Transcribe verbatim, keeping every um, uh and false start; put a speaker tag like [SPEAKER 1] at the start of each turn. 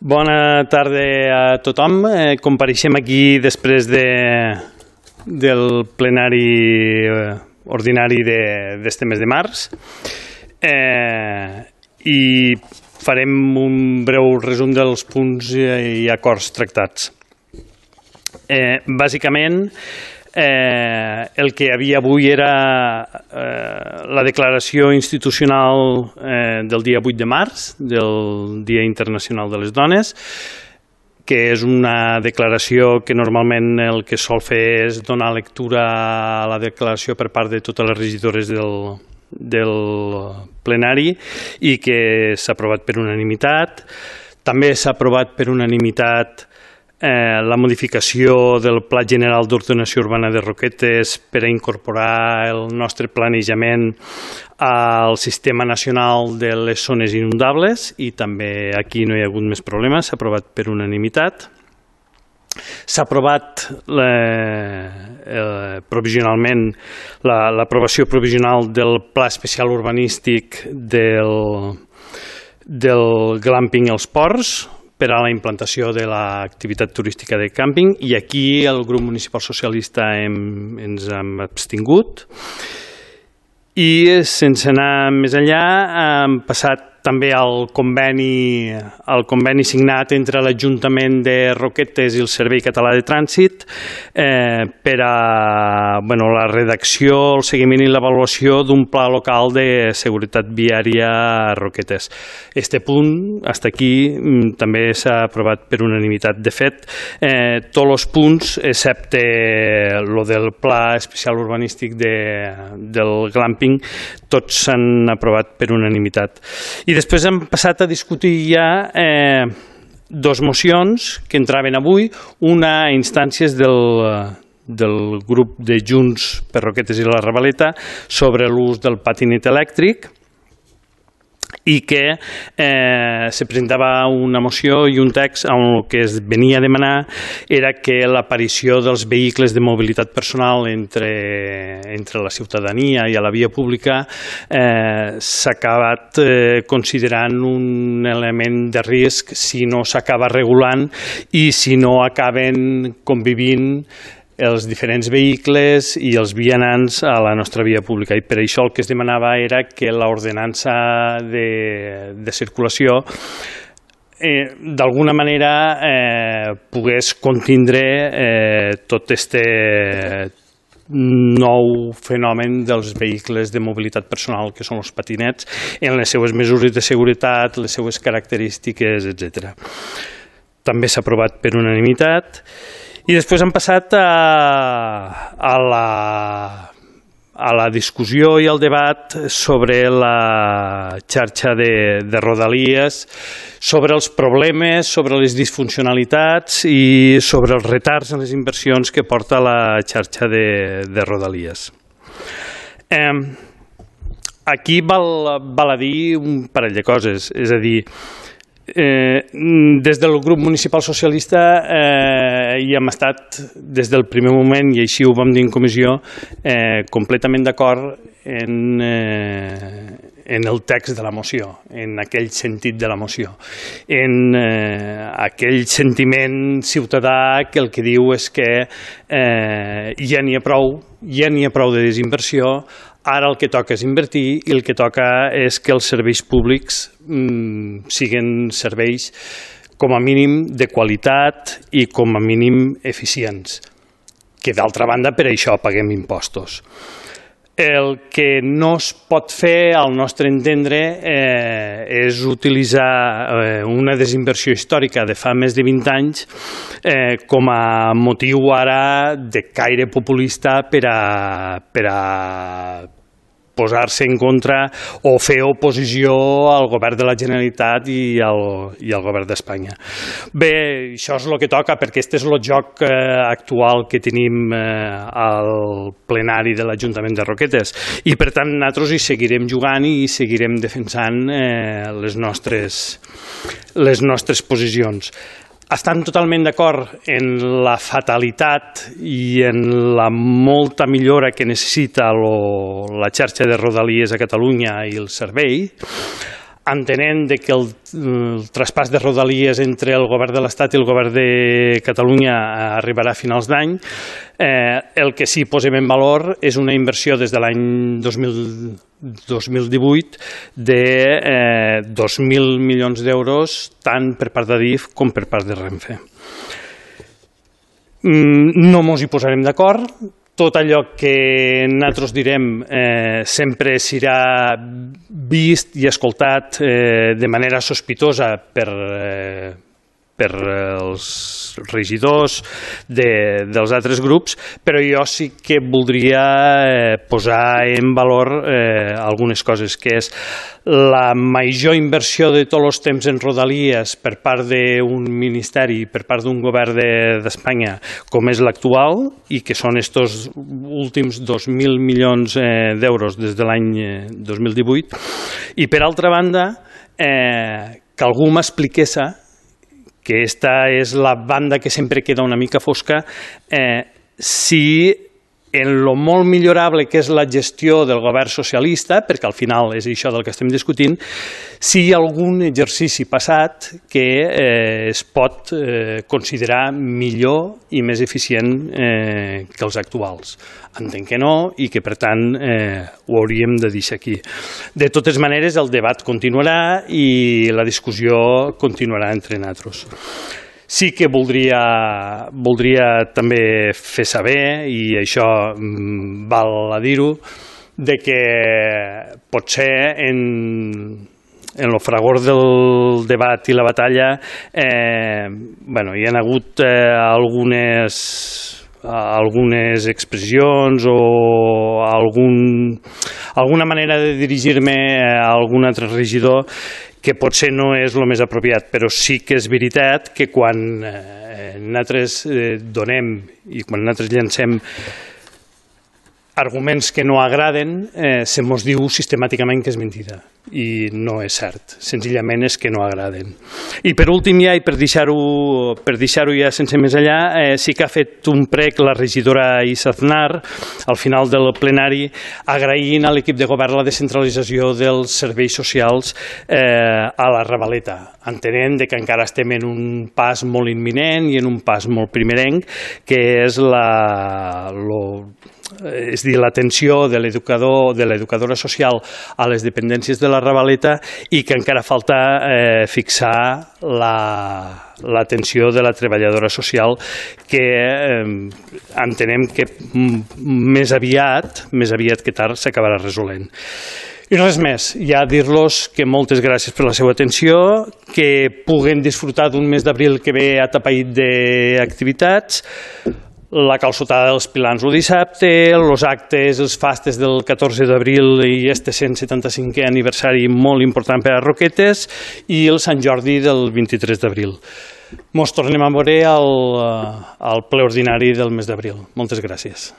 [SPEAKER 1] Bona tarda a tothom. Eh, compareixem aquí després de, del plenari eh, ordinari d'este mes de març eh, i farem un breu resum dels punts i acords tractats. Eh, bàsicament, Eh, el que hi havia avui era eh, la declaració institucional eh, del dia vuit de març, del Dia Internacional de les Dones, que és una declaració que normalment el que sol fer és donar lectura a la declaració per part de totes les regidores del, del plenari i que s'ha aprovat per unanimitat. També s'ha aprovat per unanimitat Eh, la modificació del Pla General d'Ordenació Urbana de Roquetes per a incorporar el nostre planejament al Sistema Nacional de les Zones Inundables i també aquí no hi ha hagut més problemes, s'ha aprovat per unanimitat. S'ha aprovat eh, provisionalment l'aprovació la, provisional del Pla Especial Urbanístic del, del glamping als ports, per a la implantació de l'activitat turística de càmping, i aquí el grup municipal socialista hem, ens hem abstingut. I sense anar més enllà hem passat també al conveni, al conveni signat entre l'Ajuntament de Roquetes i el Servei Català de Trànsit eh, per a bueno, la redacció, el seguiment i l'avaluació d'un pla local de seguretat viària a Roquetes. Este punt, fins aquí, també s'ha aprovat per unanimitat. De fet, eh, tots els punts, excepte el del pla especial urbanístic de, del glamping, tots s'han aprovat per unanimitat. I després hem passat a discutir ja eh, dos mocions que entraven avui, una a instàncies del, del grup de Junts per Roquetes i la Ravaleta sobre l'ús del patinet elèctric, i que eh, se presentava una moció i un text on el que es venia a demanar era que l'aparició dels vehicles de mobilitat personal entre, entre la ciutadania i a la via pública eh, s'ha acabat eh, considerant un element de risc si no s'acaba regulant i si no acaben convivint els diferents vehicles i els vianants a la nostra via pública. I per això el que es demanava era que l'ordenança de, de circulació eh, d'alguna manera eh, pogués contindre eh, tot este nou fenomen dels vehicles de mobilitat personal que són els patinets en les seues mesures de seguretat, les seues característiques, etcètera. També s'ha aprovat per unanimitat. I després hem passat a, a, la, a la discussió i al debat sobre la xarxa de, de Rodalies, sobre els problemes, sobre les disfuncionalitats i sobre els retards en les inversions que porta la xarxa de, de Rodalies. Eh, aquí val, val a dir un parell de coses, és a dir, Eh, des del grup municipal socialista eh, hi hem estat des del primer moment, i així ho vam dir en comissió, eh, completament d'acord en, eh, en el text de la moció, en aquell sentit de la moció, en eh, aquell sentiment ciutadà que el que diu és que eh, ja n'hi ha prou, ja n'hi ha prou de desinversió. Ara el que toca és invertir i el que toca és que els serveis públics mm, siguin serveis com a mínim de qualitat i com a mínim eficients, que d'altra banda per això paguem impostos. El que no es pot fer, al nostre entendre, eh, és utilitzar eh, una desinversió històrica de fa més de vint anys eh, com a motiu ara de caire populista per a, per a posar-se en contra o fer oposició al govern de la Generalitat i al, i al govern d'Espanya. Bé, això és el que toca, perquè aquest és el joc eh, actual que tenim eh, al plenari de l'Ajuntament de Roquetes i per tant nosaltres hi seguirem jugant i seguirem defensant eh, les nostres, les nostres posicions. Estan totalment d'acord en la fatalitat i en la molta millora que necessita lo, la xarxa de Rodalies a Catalunya i el servei. entenent de que el, el traspàs de Rodalies entre el govern de l'Estat i el govern de Catalunya arribarà a finals d'any. Eh, el que sí posem en valor és una inversió des de l'any dos mil divuit de eh, dos mil milions d'euros, tant per part d'Adif com per part de Renfe. No mos hi posarem d'acord. Tot allò que nosaltres direm eh, sempre serà vist i escoltat eh, de manera sospitosa per, eh, per els regidors de, dels altres grups, però jo sí que voldria eh, posar en valor eh, algunes coses, que és la major inversió de tots els temps en Rodalies per part d'un ministeri, per part d'un govern d'Espanya, com és l'actual, i que són estos últims dos mil milions eh, d'euros des de l'any dos mil divuit. I per altra banda, eh, que algú m'expliqués, que aquesta és la banda que sempre queda una mica fosca, eh, si en lo molt millorable que és la gestió del govern socialista, perquè al final és això del que estem discutint, si hi ha algun exercici passat que eh, es pot eh, considerar millor i més eficient eh, que els actuals. Entenc que no i que, per tant, eh, ho hauríem de deixar aquí. De totes maneres, el debat continuarà i la discussió continuarà entre nosaltres. Sí que voldria, voldria també fer saber, i això mm, val a dir-ho, de que potser en, en el fragor del debat i la batalla eh, bueno, hi ha hagut eh, algunes, algunes expressions o algun, alguna manera de dirigir-me a algun altre regidor que potser no és el més apropiat, però sí que és veritat que quan eh, nosaltres eh, donem i quan nosaltres llancem arguments que no agraden, eh, se mos diu sistemàticament que és mentida, i no és cert, senzillament és que no agraden. I per últim ja, i per deixar-ho per deixar-ho ja sense més allà, eh, sí que ha fet un prec la regidora Isa Aznar al final del plenari, agraint a l'equip de govern la descentralització dels serveis socials eh, a la Ravaleta, entenent que encara estem en un pas molt imminent i en un pas molt primerenc, que és la... Lo, és dir, l'atenció de l'educador, de l'educadora social a les dependències de la Ravaleta, i que encara falta eh, fixar l'atenció la, de la treballadora social, que eh, entenem que més aviat, més aviat que tard s'acabarà resolent. I res més, ja dir-los que moltes gràcies per la seva atenció, que puguen disfrutar d'un mes d'abril que ve atapeït d'activitats, la calçotada dels pilans el dissabte, els actes, els fastes del catorze d'abril i este cent setanta-cinquè aniversari molt important per a Roquetes, i el Sant Jordi del vint-i-tres d'abril. Mos tornem a veure al, al ple ordinari del mes d'abril. Moltes gràcies.